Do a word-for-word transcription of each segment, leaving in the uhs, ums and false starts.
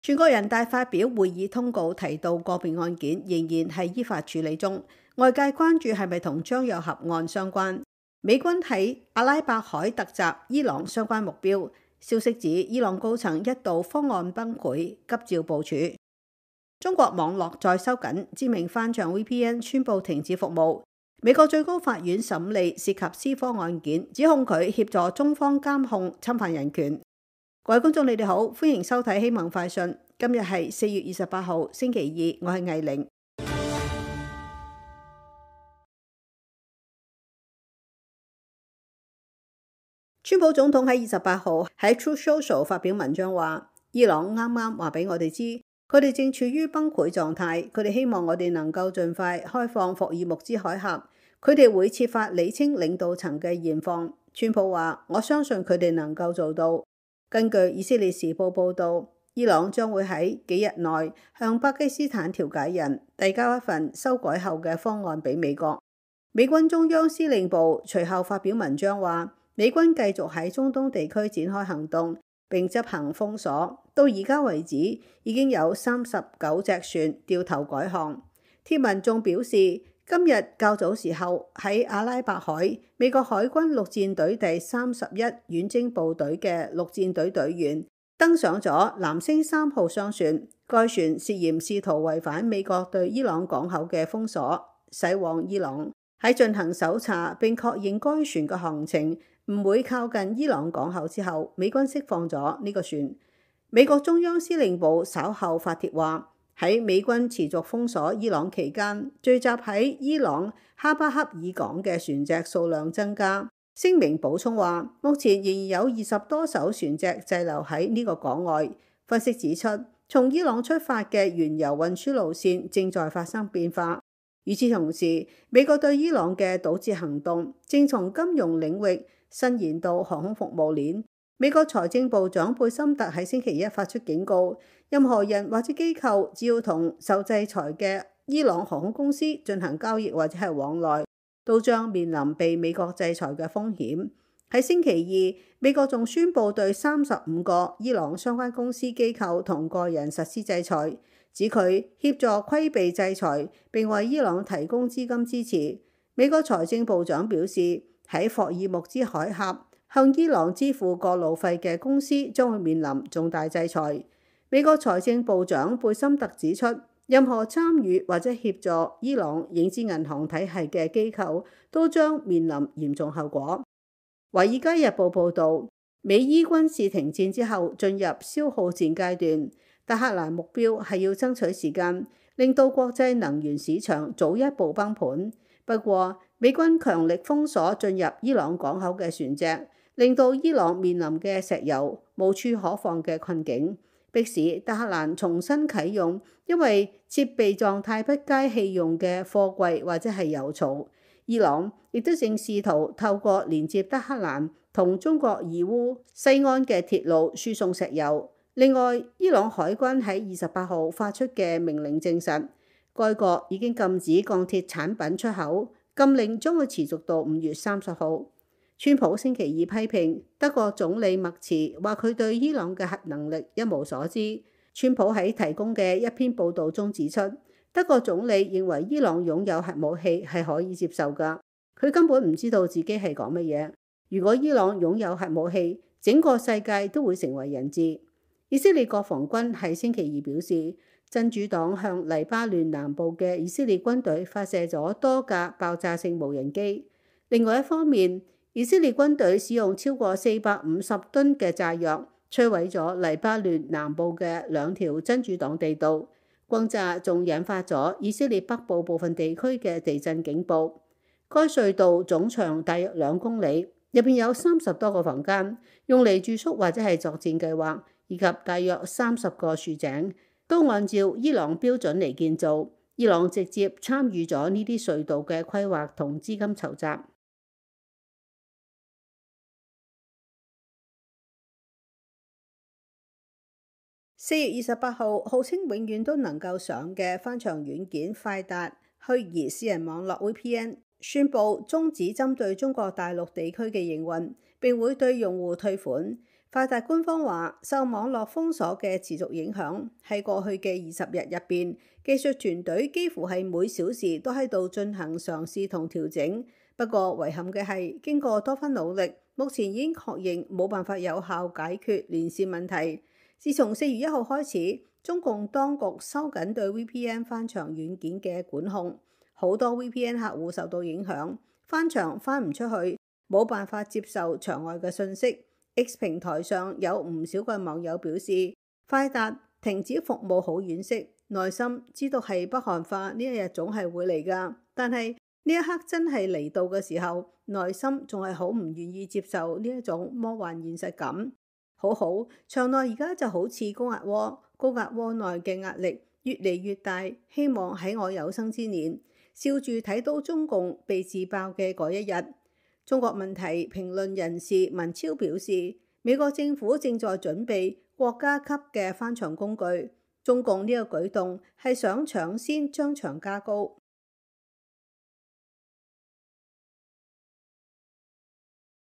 全國人大發表會議通告，提到個別案件仍然係依法處理中，外界關注係咪同張又俠案相關。美軍喺阿拉伯海突襲伊朗相關目標，消息指伊朗高層一度方案崩潰，急召部署。中國網絡再收緊，知名翻牆 V P N 宣布停止服務。美國最高法院審理涉及斯科案件，指控佢協助中方監控侵犯人權。各位觀眾，你哋好，歡迎收睇《希望快訊》。今日係四月二十八號，星期二，我係魏玲。川普總統喺二十八號喺 Truth Social 發表文章話，伊朗啱啱話俾我哋知，佢哋正處於崩潰狀態，佢哋希望我哋能夠盡快開放霍爾木茲海峽，佢哋會設法理清領導層嘅現況。川普話，我相信佢哋能夠做到。根據以色列時報報導，伊朗將會喺幾日內向巴基斯坦調解人遞交一份修改後嘅方案俾美國。美軍中央司令部隨後發表文章話，美軍繼續喺中東地區展開行動並執行封鎖，到而家為止已經有三十九隻船掉頭改航。貼文仲表示，今日較早時候喺阿拉伯海，美國海軍陸戰隊第三十一遠征部隊嘅陸戰隊隊員登上咗藍星三號商船，該船涉嫌試圖違反美國對伊朗港口嘅封鎖，駛往伊朗。喺進行搜查並確認該船嘅航程唔會靠近伊朗港口之後，美軍釋放咗呢個船。美國中央司令部稍後發帖話，喺美軍持續封鎖伊朗期間，聚集喺伊朗哈巴克爾港嘅船隻數量增加。聲明補充話，目前仍然有二十多艘船隻滯留喺呢個港外。分析指出，從伊朗出發嘅原油運輸路線正在發生變化。與此同時，美國對伊朗嘅堵截行動正從金融領域伸延到航空服務鏈。美國財政部長貝森特喺星期一發出警告，任何人或者機構只要同受制裁嘅伊朗航空公司進行交易或者係往來，都將面臨被美國制裁嘅風險。喺星期二，美國仲宣布對三十五個伊朗相關公司機構同個人實施制裁，指佢協助規避制裁並為伊朗提供資金支持。美國財政部長表示，喺霍爾木茲海峽向伊朗支付過路費嘅公司將會面臨重大制裁。美國財政部長貝森特指出，任何參與或者協助伊朗影子銀行體系嘅機構都將面臨嚴重後果。《華爾街日報》報導，美伊軍事停戰之後進入消耗戰階段，德黑蘭目標係要爭取時間，令到國際能源市場早一步崩盤。不過，美軍強力封鎖進入伊朗港口嘅船隻，令到伊朗面臨嘅石油無處可放嘅困境，迫使德黑蘭重新啟用因為設備狀態不佳棄用嘅貨櫃或者係油槽。伊朗亦都正試圖透過連接德黑蘭同中國義烏西安嘅鐵路輸送石油。另外，伊朗海軍喺二十八號發出嘅命令證實，該國已經禁止鋼鐵產品出口，禁令將會持續到五月三十號。川普星期二批評德國總理默茨，話佢對伊朗嘅核能力一無所知。川普喺提供嘅一篇報導中指出，德國總理認為伊朗擁有核武器係可以接受㗎，佢根本唔知道自己係講乜嘢。如果伊朗擁有核武器，整個世界都會成為人質。以色列國防軍喺星期二表示，真主黨向黎巴嫩南部嘅以色列軍隊發射咗多架爆炸性無人機。另外一方面，以色列軍隊使用超過四百五十噸嘅炸藥，摧毀咗黎巴嫩南部嘅兩條真主黨地道。轟炸仲引發咗以色列北部部分地區嘅地震警報。該隧道總長大約兩公里，入邊有三十多個房間，用嚟住宿或者係作戰計劃，以及大約三十個豎井，都按照伊朗標準嚟建造。伊朗直接參與咗呢啲隧道嘅規劃同資金籌集。四月二十八號，號稱永遠都能夠上嘅翻牆軟件快達虛擬私人網絡 V P N 宣布終止針對中國大陸地區嘅營運，並會對用戶退款。快達官方話，受網絡封鎖嘅持續影響，喺過去嘅二十日入邊，技術團隊幾乎係每小時都喺度進行嘗試同調整。不過遺憾嘅係，經過多番努力，目前已經確認冇辦法有效解決連線問題。自從四月一號開始，中共當局收緊對 V P N 翻牆軟件嘅管控，好多 V P N 客戶受到影響，翻牆翻唔出去，冇辦法接受牆外嘅信息。X 平台上有唔少嘅網友表示，快達停止服務好惋惜，內心知道係北韓化呢一日總係會嚟㗎，但係呢一刻真係嚟到嘅時候，內心仲係好唔願意接受呢一種魔幻現實感。好好，牆內而家就好似高壓鍋，高壓鍋內嘅壓力越嚟越大，希望喺我有生之年，笑住睇到中共被自爆嘅嗰一日。中國問題評論人士文超表示，美國政府正在準備國家級嘅翻牆工具，中共呢個舉動係想搶先將牆加高。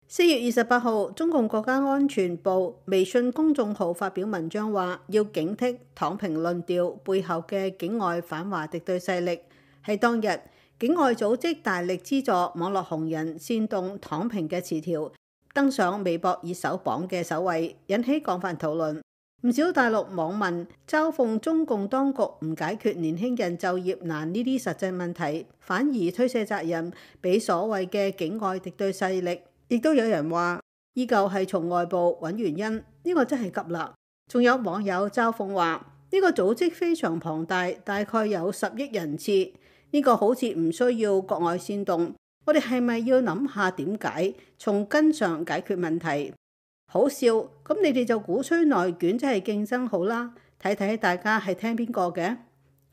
四月二十八號，中共國家安全部微信公眾號發表文章話，要警惕躺平論調背後嘅境外反華敵對勢力。喺當日，境外組織大力資助網絡紅人煽動躺平嘅詞條，登上微博熱搜榜嘅首位，引起廣泛討論。唔少大陸網民嘲諷中共當局唔解決年輕人就業難呢啲實際問題，反而推卸責任俾所謂嘅境外敵對勢力。亦都有人話，依舊係從外部揾原因，呢個真係急啦。仲有網友嘲諷話，呢個組織非常龐大，大概有十億人次。呢個好似唔需要國外煽動，我哋係咪要諗下點解，從根上解決問題？好笑，咁你哋就鼓吹內卷，即係競爭好啦。睇睇大家係聽邊個嘅？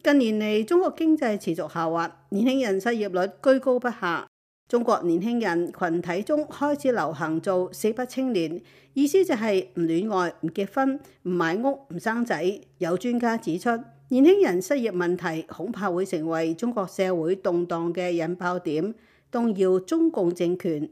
近年嚟，中國經濟持續下滑，年輕人失業率居高不下。中國年輕人群體中開始流行做四不青年，意思就係唔戀愛、唔結婚、唔買屋、唔生仔。有專家指出，年輕人失業問題恐怕會成為中國社會動盪嘅引爆點，動搖中共政權。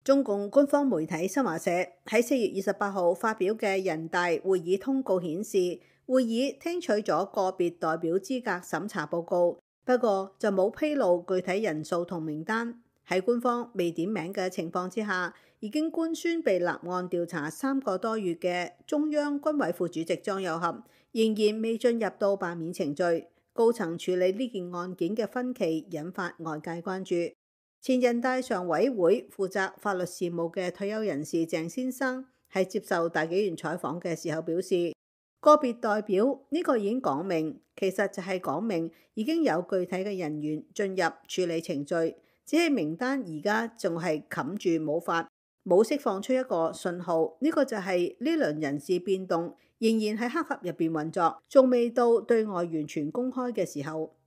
中共官方媒體新華社喺四月二十八號發表嘅人大會議通告顯示，會議聽取咗個別代表資格審查報告，不過就冇披露具體人數同名單。喺官方未點名嘅情況之下，已經官宣被立案調查三個多月嘅中央軍委副主席張又俠，仍然未進入到罷免程序。高層處理呢件案件嘅分歧引發外界關注。前人大常委會負責法律事務嘅退休人士鄭先生喺接受大紀元採訪嘅時候表示，個別代表呢個已經講明，其實就係講明已經有具體嘅人員進入處理程序，只係名單而家仲係冚住冇發，冇釋放出一個信號。呢個就係呢輪人事變動仍然喺黑盒入邊運作，仲未到對外完全公開嘅時候。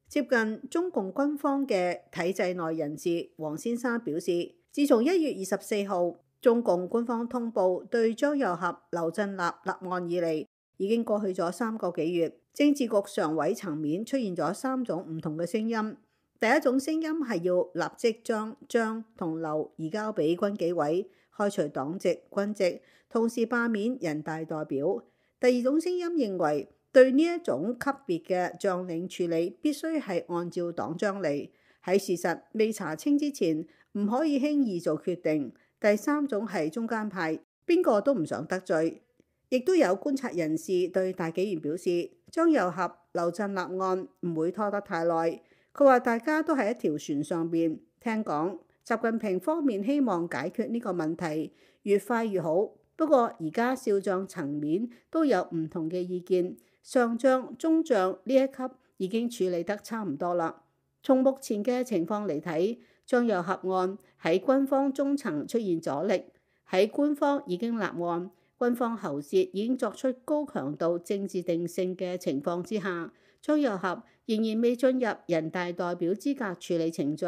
接近中共軍方嘅體制內人士黃先生表示，自從一月二十四號中共官方通報對張又俠、劉振立立案以嚟，已經過去咗三個幾月，政治局常委層面出現咗三種唔同嘅聲音。第一種聲音係要立即將張同劉移交俾軍紀委，開除黨籍、軍籍，同時罷免人大代表。第二種聲音認為，對呢一種級別嘅將領處理必須係按照黨章嚟，喺事實未查清之前唔可以輕易做決定。第三種係中間派，邊個都唔想得罪。亦都有觀察人士對大紀元表示，張又俠、劉振立案唔會拖得太耐。佢話大家都喺一條船上邊，聽講習近平方面希望解決呢個問題越快越好。不過而家少將層面都有唔同嘅意見。上將、中將呢一級已經處理得差唔多啦。從目前嘅情況嚟睇，張又俠案喺軍方中層出現阻力，喺官方已經立案、軍方喉舌已經作出高強度政治定性嘅情況之下，張又俠仍然未進入人大代表資格處理程序，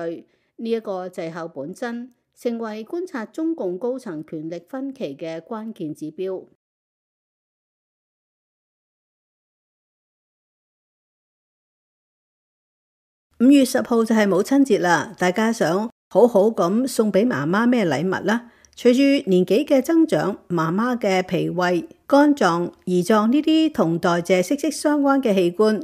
呢、這、一個滯後本真，成為觀察中共高層權力分歧嘅關鍵指標。五月十號就係母親節啦，大家想好好咁送俾媽媽咩禮物啦？隨住年紀嘅增長，媽媽嘅脾胃、肝臟、胰臟呢啲同代謝息息相關嘅器官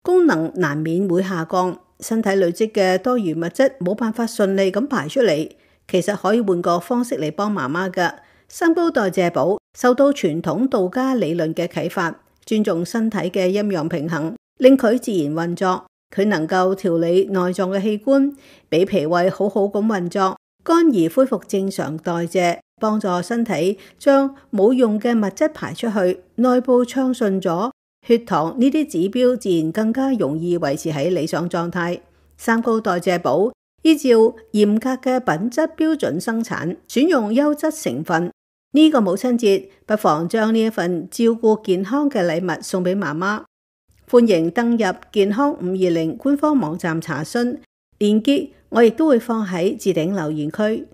功能難免會下降，身體累積嘅多餘物質冇辦法順利咁排出嚟。其實可以換個方式嚟幫媽媽㗎。三高代謝寶受到傳統道家理論嘅啟發，尊重身體嘅陰陽平衡，令佢自然運作。佢能夠調理內臟嘅器官，俾脾胃好好咁運作，肝胰恢復正常代謝，幫助身體將冇用嘅物質排出去，內部暢順咗，血糖呢啲指標自然更加容易維持喺理想狀態。三高代謝寶依照嚴格嘅品質標準生產，選用優質成分。呢個母親節，不妨將呢一份照顧健康嘅禮物送俾媽媽。歡迎登入健康五二零官方網站查詢，鏈接我亦都會放喺置頂留言區。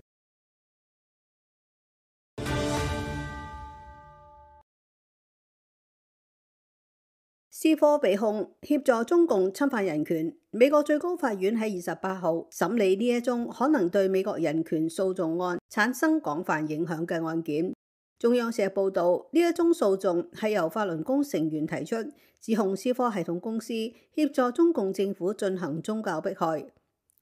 斯科被控協助中共侵犯人權，美國最高法院喺二十八號審理呢一宗可能對美國人權訴訟案產生廣泛影響嘅案件。中央社報道，呢一宗訴訟係由法輪功成員提出，指控思科系統公司協助中共政府進行宗教迫害。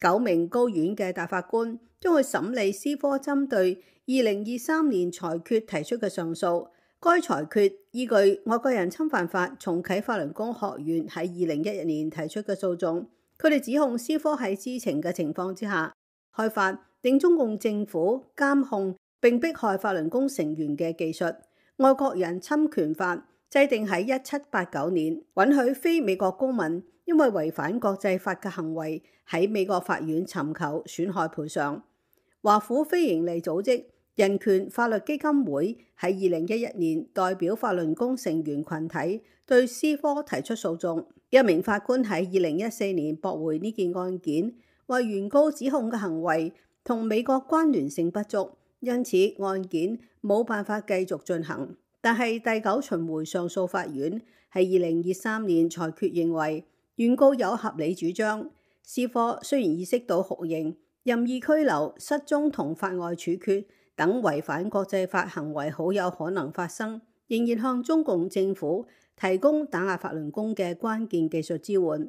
九名高院嘅大法官將會審理思科針對二零二三年裁決提出嘅上訴。該裁決依據外國人侵犯法重啟法輪功學院喺二零一一年提出嘅訴訟，佢哋指控思科喺知情嘅情況之下開發令中共政府監控並迫害法輪功成員嘅技術。外國人侵權法制定喺一七八九年，允許非美國公民因為違反國際法嘅行為喺美國法院尋求損害賠償。華府非營利組織人權法律基金會喺二零一一年代表法輪功成員群體對思科提出訴訟。一名法官喺二零一四年駁回呢件案件，話原告指控嘅行為同美國關聯性不足，因此案件冇辦法繼續進行。但係第九巡迴上訴法院喺二零二三年裁決認為，原告有合理主張。思科雖然意識到酷刑、任意拘留、失蹤同法外處決等違反國際法行為好有可能發生，仍然向中共政府提供打壓法輪功嘅關鍵技術支援。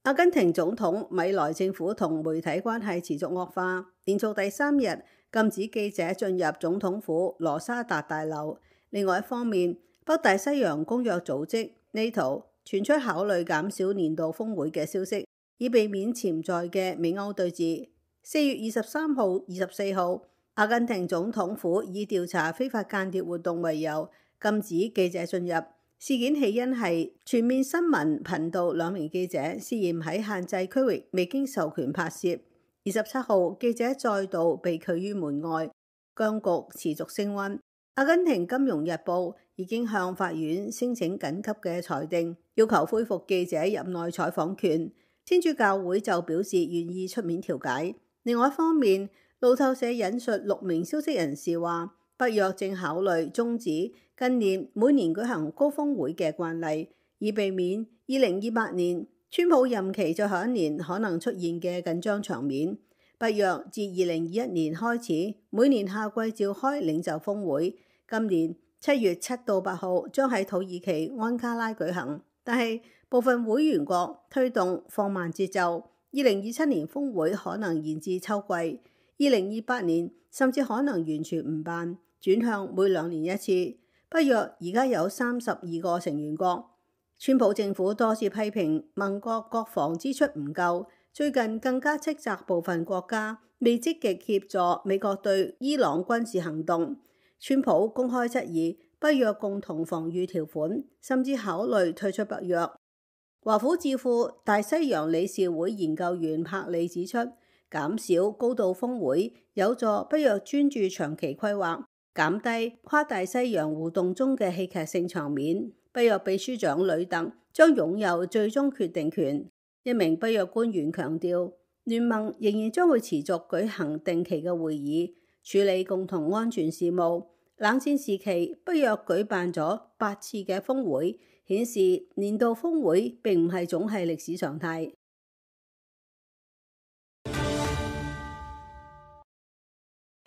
阿根廷總統米萊政府同媒體關係持續惡化，連續第三日禁止記者進入總統府羅沙達大樓。另外一方面，北大西洋公約組織 NATO 傳出考慮減少年度峰會嘅消息，以避免潛在嘅美歐對峙。四月二十三號、二十四號，阿根廷總統府以調查非法間諜活動為由，禁止記者進入。事件起因係全面新聞頻道兩名記者涉嫌喺限制區域未經授權拍攝。二十七號，記者再度被拒於門外，僵局持續升溫。阿根廷金融日報已經向法院申請緊急嘅裁定，要求恢復記者入內採訪權。天主教會就表示願意出面調解。另外一方面，路透社引述六名消息人士話，北約正考慮終止近年每年舉行高峰會嘅慣例，以避免二零二八年川普任期最後一年可能出現嘅緊張場面。北約自二零二一年開始，每年夏季召開領袖峰會，今年七月七到八號將喺土耳其安卡拉舉行，但係部分會員國推動放慢節奏，二零二七年峰會可能延至秋季，二零二八年甚至可能完全唔辦，轉向每兩年一次。北約而家有三十二個成員國，川普政府多次批評盟國國防支出唔夠，最近更加斥責部分國家未積極協助美國對伊朗軍事行動。川普公開質疑北約共同防禦條款，甚至考慮退出北約。華府智庫大西洋理事會研究員柏利指出，減少高度峰會有助北約專注長期規劃，減低跨大西洋互動中嘅戲劇性場面。北約秘書長呂特將擁有最終決定權。一名北約官員強調，聯盟仍然將會持續舉行定期嘅會議，處理共同安全事務。冷戰時期，北約舉辦咗八次嘅峰會，顯示年度峰會並唔係總係歷史常態。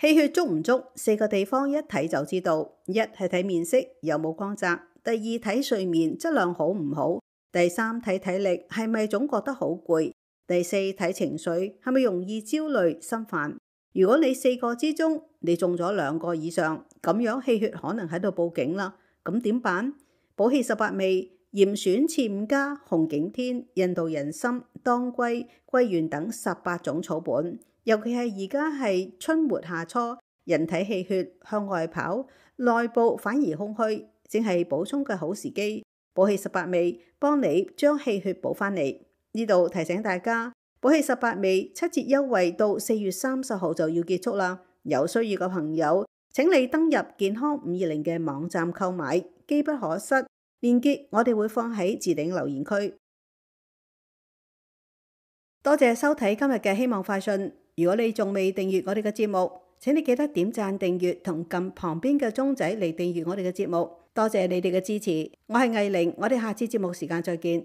氣血足唔足，四個地方一睇就知道。一係睇面色有冇光澤，第二睇睡眠質量好唔好，第三睇體力係咪總覺得好攰，第四睇情緒係咪容易焦慮心煩。如果你四個之中你中咗兩個以上，咁樣氣血可能喺度報警啦。咁點辦？補氣十八味、嚴選刺五加、紅景天、印度人參、當歸、桂圓等十八種草本。尤其係而家係春末夏初，人體氣血向外跑，內部反而空虛，正係補充嘅好時機。補氣十八味幫你將氣血補翻嚟。呢度提醒大家，補氣十八味七折優惠到四月三十號就要結束啦。有需要嘅朋友，請你登入健康五二零嘅網站購買，機不可失。鏈接我哋會放喺置頂留言區。多謝收睇今日嘅希望快訊。如果你仲未訂閱我哋嘅節目，請你記得點讚訂閱同撳旁邊嘅鐘仔嚟訂閱我哋嘅節目。多謝你哋嘅支持，我係藝玲，我哋下次節目時間再見。